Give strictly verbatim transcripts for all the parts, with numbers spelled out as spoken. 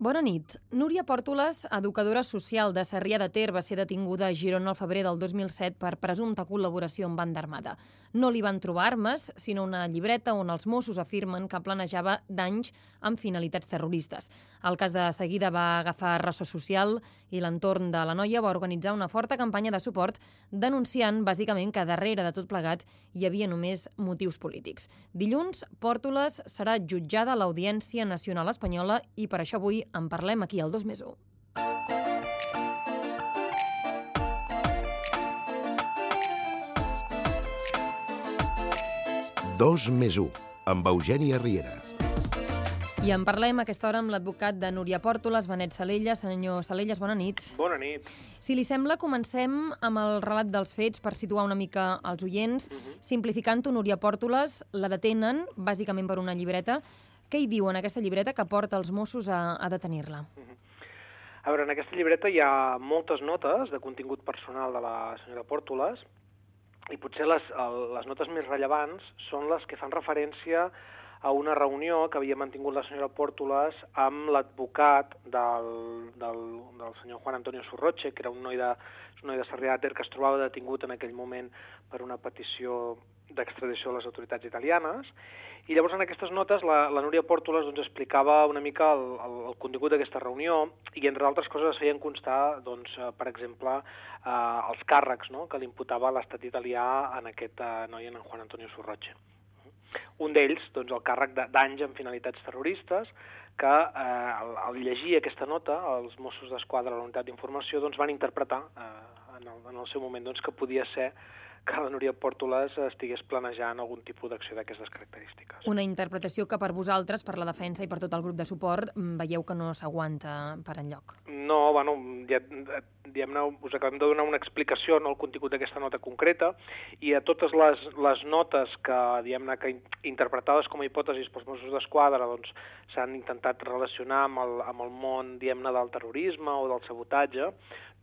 Bona nit. Núria Pòrtoles, educadora social de Sarrià de Ter, va ser detinguda a Girona al febrer del dos mil set per presumpta col·laboració amb banda armada. No li van trobar armes, sinó una llibreta on els Mossos afirmen que planejava danys amb finalitats terroristes. El cas de seguida va agafar ressò social i l'entorn de la noia va organitzar una forta campanya de suport denunciant bàsicament que darrere de tot plegat hi havia només motius polítics. Dilluns, Pòrtoles serà jutjada a l'Audiència Nacional Espanyola i per això avui en parlem aquí al dos més u. dos més u, amb Eugènia Riera. I en parlem a aquesta hora amb l'advocat de Núria Pòrtoles, Benet Salella. Senyor Salellas, bona nit. Bona nit. Si li sembla, comencem amb el relat dels fets per situar una mica els oients. Uh-huh. Simplificant-ho, Núria Pòrtoles la detenen, bàsicament per una llibreta. Què hi diu en aquesta llibreta que porta els Mossos a, a detenir-la? Uh-huh. A veure, en aquesta llibreta hi ha moltes notes de contingut personal de la senyora Pòrtoles i potser les, les notes més rellevants són les que fan referència a una reunió que havia mantingut la senyora Pòrtoles amb l'advocat del, del, del senyor Juan Antonio Surroche, que era un noi de, un noi de Sarrià de Ter que es trobava detingut en aquell moment per una petició d'extradició a les autoritats italianes. I llavors en aquestes notes la, la Núria Pòrtoles doncs, explicava una mica el, el, el contingut d'aquesta reunió i entre altres coses es feien constar, doncs, per exemple, eh, els càrrecs, no?, que li imputava l'estat italià en aquest eh, noi, en Juan Antonio Surroche. Un d'ells, doncs, el càrrec de danys amb finalitats terroristes, que eh, al, al llegir aquesta nota, els Mossos d'Esquadra de la unitat d'informació doncs, van interpretar eh, en, el, en el seu moment doncs, que podia ser que la Núria Pòrtoles estigués planejant algun tipus d'acció d'aquestes característiques. Una interpretació que per vosaltres, per la defensa i per tot el grup de suport, veieu que no s'aguanta per enlloc. No, bueno, ja, diguem-ne, us acabem de donar una explicació en el contingut d'aquesta nota concreta i a totes les, les notes que, diguem-ne, que interpretades com a hipòtesis pels Mossos d'Esquadra doncs, s'han intentat relacionar amb el, amb el món, diguem-ne, del terrorisme o del sabotatge,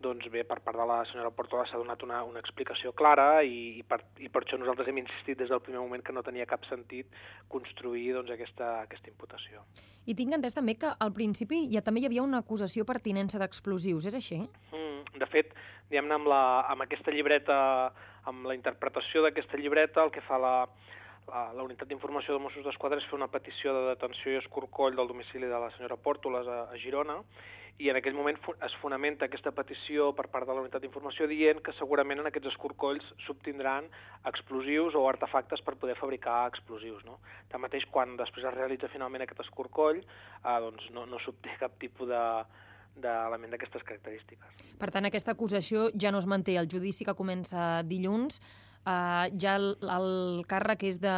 doncs bé, per part de la senyora Pòrtoles s'ha donat una, una explicació clara i, i, per, i per això nosaltres hem insistit des del primer moment que no tenia cap sentit construir doncs, aquesta, aquesta imputació. I tinc entès també que al principi ja també hi havia una acusació per tinença d'explosius, és així? Mm, de fet, diguem-ne, amb, la, amb aquesta llibreta, amb la interpretació d'aquesta llibreta, el que fa la, la, la unitat d'informació de Mossos d'Esquadra és fer una petició de detenció i escorcoll del domicili de la senyora Pòrtoles a, a Girona, i en aquell moment es fonamenta aquesta petició per part de la unitat d'informació dient que segurament en aquests escorcolls s'obtindran explosius o artefactes per poder fabricar explosius. No? Tanmateix, quan després es realitza finalment aquest escorcoll, eh, doncs no, no s'obté cap tipus de d'element d'aquestes característiques. Per tant, aquesta acusació ja no es manté. El judici que comença dilluns Uh, ja el, el càrrec és de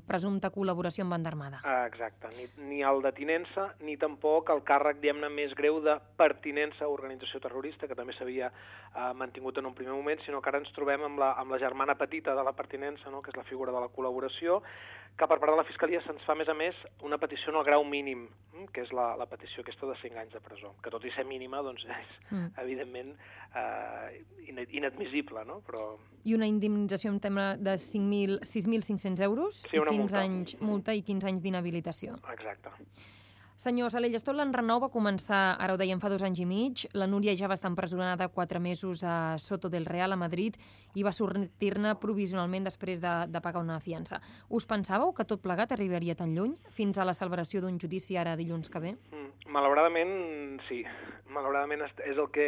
presumpta col·laboració amb banda armada. Uh, exacte. Ni, ni el de tinença, ni tampoc el càrrec, diguem-ne, més greu de pertinença a organització terrorista, que també s'havia uh, mantingut en un primer moment, sinó que ara ens trobem amb la, amb la germana petita de la pertinença, no?, que és la figura de la col·laboració, que per part de la Fiscalia se'ns fa, a més a més, una petició en el grau mínim, que és la, la petició aquesta de cinc anys de presó, que tot i ser mínima, doncs és, mm. evidentment, uh, inadmissible, no? Però... I una indemnització en tema de sis mil cinc-cents euros sí, i quinze multa. anys multa i quinze anys d'inhabilitació. Exacte. Senyor Salellas, tot l'enrenou va començar, ara ho dèiem, fa dos anys i mig. La Núria ja va estar empresonada quatre mesos a Soto del Real, a Madrid, i va sortir-ne provisionalment després de, de pagar una fiança. Us pensàveu que tot plegat arribaria tan lluny, fins a la celebració d'un judici ara dilluns que ve? Mm, malauradament, sí. Malauradament és el que...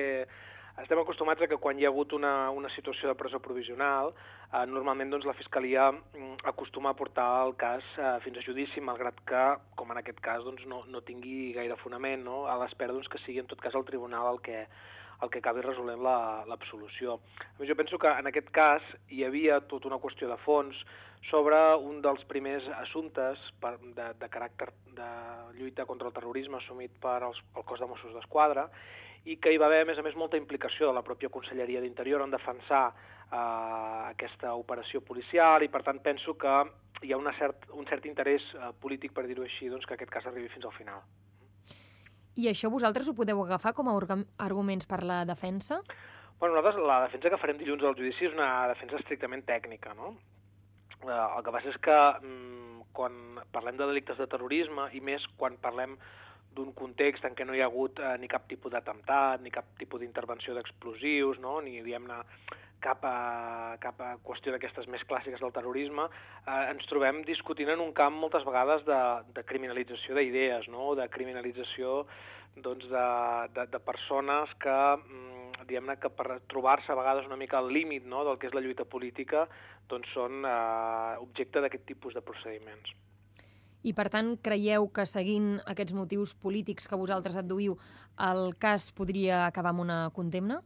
Estem acostumats a que quan hi ha hagut una, una situació de presó provisional, eh, normalment doncs, la Fiscalia mm, acostuma a portar el cas eh, fins a judici, malgrat que, com en aquest cas, doncs, no, no tingui gaire fonament, no? A l'espera doncs, que sigui en tot cas el tribunal el que, el que acabi resolent l'absolució. La, jo penso que en aquest cas hi havia tota una qüestió de fons sobre un dels primers assumptes per, de, de caràcter de lluita contra el terrorisme assumit per els, el cos de Mossos d'Esquadra, i que hi va haver, a més a més, molta implicació de la pròpia Conselleria d'Interior en defensar eh, aquesta operació policial i, per tant, penso que hi ha una cert, un cert interès eh, polític, per dir-ho així, doncs, que aquest cas arribi fins al final. I això vosaltres ho podeu agafar com a arguments per la defensa? Bueno, nosaltres la defensa que farem dilluns al judici és una defensa estrictament tècnica, no? Eh, el que passa és que mm, quan parlem de delictes de terrorisme, i més quan parlem d'un context en què no hi ha hagut eh, ni cap tipus d'atemptat, ni cap tipus d'intervenció d'explosius, no? Ni, diguem-ne, cap a, cap a qüestió d'aquestes més clàssiques del terrorisme, eh, ens trobem discutint en un camp moltes vegades de, de criminalització d'idees, no? De criminalització doncs, de, de, de persones que, diguem-ne, que per trobar-se a vegades una mica al límit, no? Del que és la lluita política, doncs són eh, objecte d'aquest tipus de procediments. I, per tant, creieu que seguint aquests motius polítics que vosaltres adduïu, el cas podria acabar amb una condemna?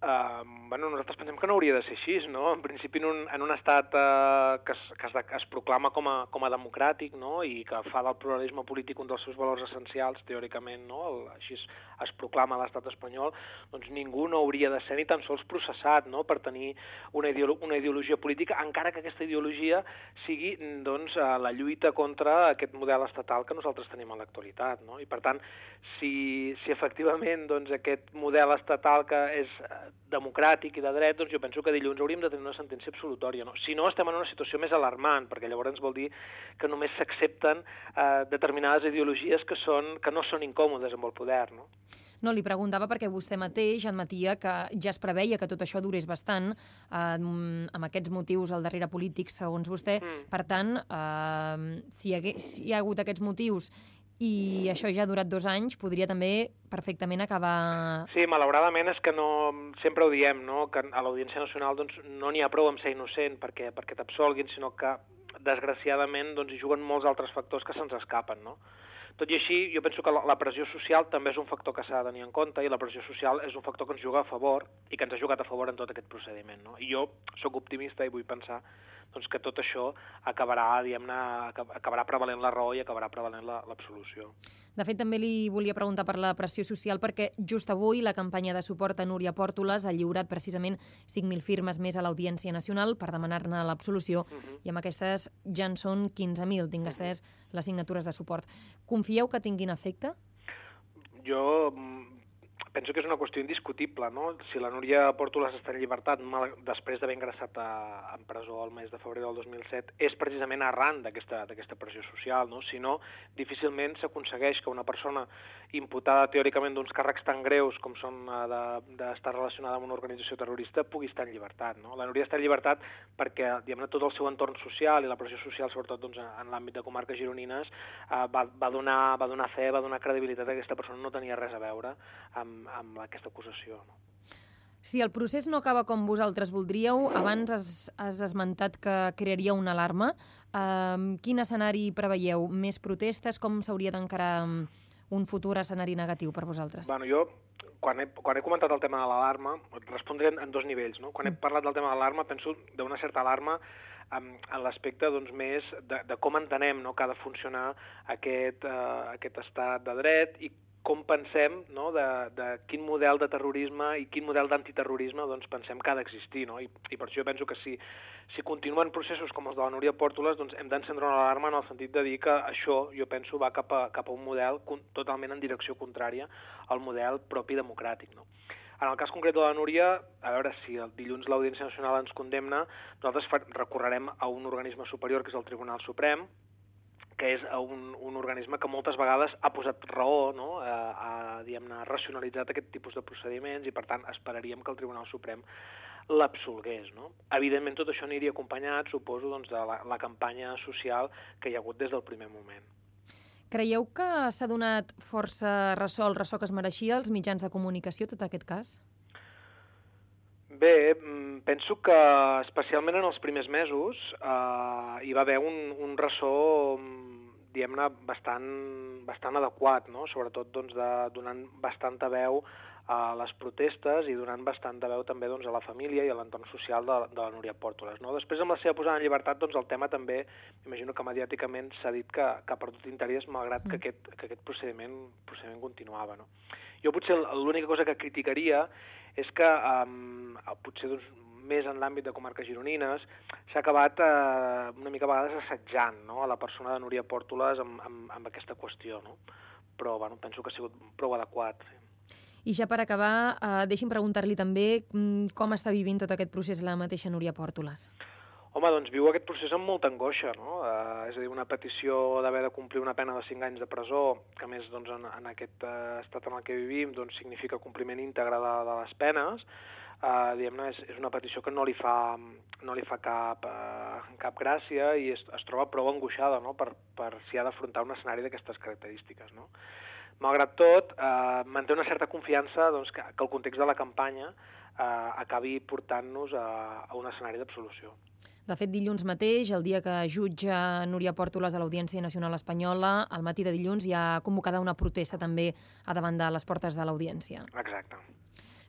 Uh, bueno, nosaltres pensem que no hauria de ser així, no? En principi, en un, en un estat uh, que, es, que es, es proclama com a, com a democràtic, no? I que fa del pluralisme polític un dels seus valors essencials, teòricament, no? El, així es, es proclama a l'estat espanyol, doncs ningú no hauria de ser ni tan sols processat, no? Per tenir una, ideolo una ideologia política, encara que aquesta ideologia sigui, doncs, uh, la lluita contra aquest model estatal que nosaltres tenim a l'actualitat, no? I, per tant, si, si efectivament doncs, aquest model estatal que és democràtic i de dret, doncs jo penso que dilluns hauríem de tenir una sentència absolutòria. No? Si no, estem en una situació més alarmant, perquè llavors vol dir que només s'accepten eh, determinades ideologies que, són, que no són incòmodes amb el poder. No? No, li preguntava perquè vostè mateix admetia que ja es preveia que tot això durés bastant, eh, amb aquests motius al darrere polítics, segons vostè. Mm. Per tant, eh, si, hi hagués, si hi ha hagut aquests motius i això ja ha durat dos anys, podria també perfectament acabar... Sí, malauradament és que no, sempre ho diem, no? Que a l'Audiència Nacional doncs, no n'hi ha prou amb ser innocent perquè, perquè t'absolguin, sinó que, desgraciadament, doncs, hi juguen molts altres factors que se'ns escapen, no? Tot i així, jo penso que la pressió social també és un factor que s'ha de tenir en compte i la pressió social és un factor que ens juga a favor i que ens ha jugat a favor en tot aquest procediment, no? I jo sóc optimista i vull pensar doncs, que tot això acabarà, diguem-ne, acabarà prevalent la raó i acabarà prevalent l'absolució. De fet, també li volia preguntar per la pressió social perquè just avui la campanya de suport a Núria Pòrtoles ha lliurat precisament cinc mil firmes més a l'Audiència Nacional per demanar-ne l'absolució uh -huh. i amb aquestes ja en són quinze mil, tinc estès uh -huh. les signatures de suport. Confieu que tinguin efecte? Jo penso que és una qüestió indiscutible, no? Si la Núria Pòrtoles està en llibertat mal, després d'haver ingressat a, en presó el mes de febrer del dos mil set, és precisament arran d'aquesta pressió social, no? Si no, difícilment s'aconsegueix que una persona imputada teòricament d'uns càrrecs tan greus com són d'estar de, relacionada amb una organització terrorista pugui estar en llibertat, no? La Núria està en llibertat perquè, diguem-ne, tot el seu entorn social i la pressió social, sobretot doncs, en l'àmbit de comarques gironines, eh, va, va, donar, va donar fe, va donar credibilitat que aquesta persona no tenia res a veure amb amb aquesta acusació. No? Si el procés no acaba com vosaltres voldríeu, abans has, has esmentat que crearia una alarma. Uh, quin escenari preveieu? Més protestes? Com s'hauria d'encarar un futur escenari negatiu per vosaltres? Bueno, jo, quan he, quan he comentat el tema de l'alarma, respondré en, en dos nivells. No? Quan he parlat del tema de l'alarma, penso d'una certa alarma en, en l'aspecte doncs, més de, de com entenem, no? Que ha de funcionar aquest, uh, aquest estat de dret i com pensem, no? de, de quin model de terrorisme i quin model d'antiterrorisme doncs, pensem que ha d'existir. No? I, I per això jo penso que si, si continuen processos com els de la Núria Pòrtoles, doncs hem d'encendre una alarma en el sentit de dir que això, jo penso, va cap a, cap a un model totalment en direcció contrària al model propi democràtic. No? En el cas concret de la Núria, a veure, si el dilluns l'Audiència Nacional ens condemna, nosaltres recorrerem a un organisme superior, que és el Tribunal Suprem, que és un, un organisme que moltes vegades ha posat raó, no? ha, ha, diguem-ne, ha racionalitzat aquest tipus de procediments i, per tant, esperaríem que el Tribunal Suprem l'absolgués. No? Evidentment, tot això aniria acompanyat, suposo, doncs, de la, la campanya social que hi ha hagut des del primer moment. Creieu que s'ha donat força ressò, el ressò que es mereixia als mitjans de comunicació, tot aquest cas? Bé, penso que especialment en els primers mesos eh, hi va haver un, un ressò, diguem-ne, bastant, bastant adequat, no? Sobretot doncs, de, donant bastanta veu a les protestes i donant bastanta veu també doncs, a la família i a l'entorn social de, de la Núria Pòrtoles. No? Després, amb la seva posada en llibertat, doncs, el tema també, imagino que mediàticament s'ha dit que, que ha perdut interès, malgrat que aquest, que aquest procediment, procediment continuava. No? Jo potser l'única cosa que criticaria és que um, potser doncs, més en l'àmbit de comarques gironines s'ha acabat eh, una mica a vegades assetjant, no? A la persona de Núria Pòrtoles amb, amb, amb aquesta qüestió, no? Però bueno, penso que ha sigut prou adequat. Sí. I ja per acabar, eh, deixi'm preguntar-li també com està vivint tot aquest procés la mateixa Núria Pòrtoles. Home, doncs viu aquest procés amb molta angoixa, no? Eh, és a dir, una petició d'haver de complir una pena de cinc anys de presó, que a més doncs, en, en aquest eh, estat en el que vivim doncs, significa compliment íntegre de, de les penes, eh, diguem-ne, és, és una petició que no li fa, no li fa cap, eh, cap gràcia i es, es troba prou angoixada, no? per, per si ha d'afrontar un escenari d'aquestes característiques, no? Malgrat tot, eh, manté una certa confiança doncs, que, que el context de la campanya eh, acabi portant-nos a, a un escenari d'absolució. De fet, dilluns mateix, el dia que jutja Núria Pòrtoles a l'Audiència Nacional Espanyola, al matí de dilluns hi ha convocada una protesta també a davant de les portes de l'Audiència. Exacte.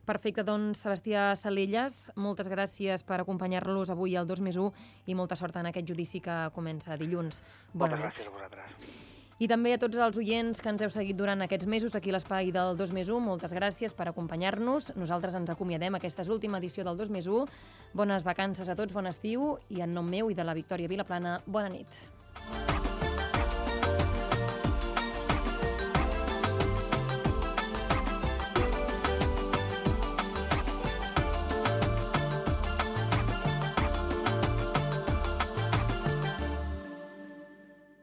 Perfecte, doncs, Sebastià Salelles, moltes gràcies per acompanyar-los avui al dos més u i molta sort en aquest judici que comença dilluns. Bona Moltes nit. gràcies a vosaltres. I també a tots els oients que ens heu seguit durant aquests mesos aquí a l'espai del dos més u, moltes gràcies per acompanyar-nos. Nosaltres ens acomiadem. Aquesta és l'última edició del dos més u. Bones vacances a tots, bon estiu, i en nom meu i de la Victòria Vilaplana, bona nit.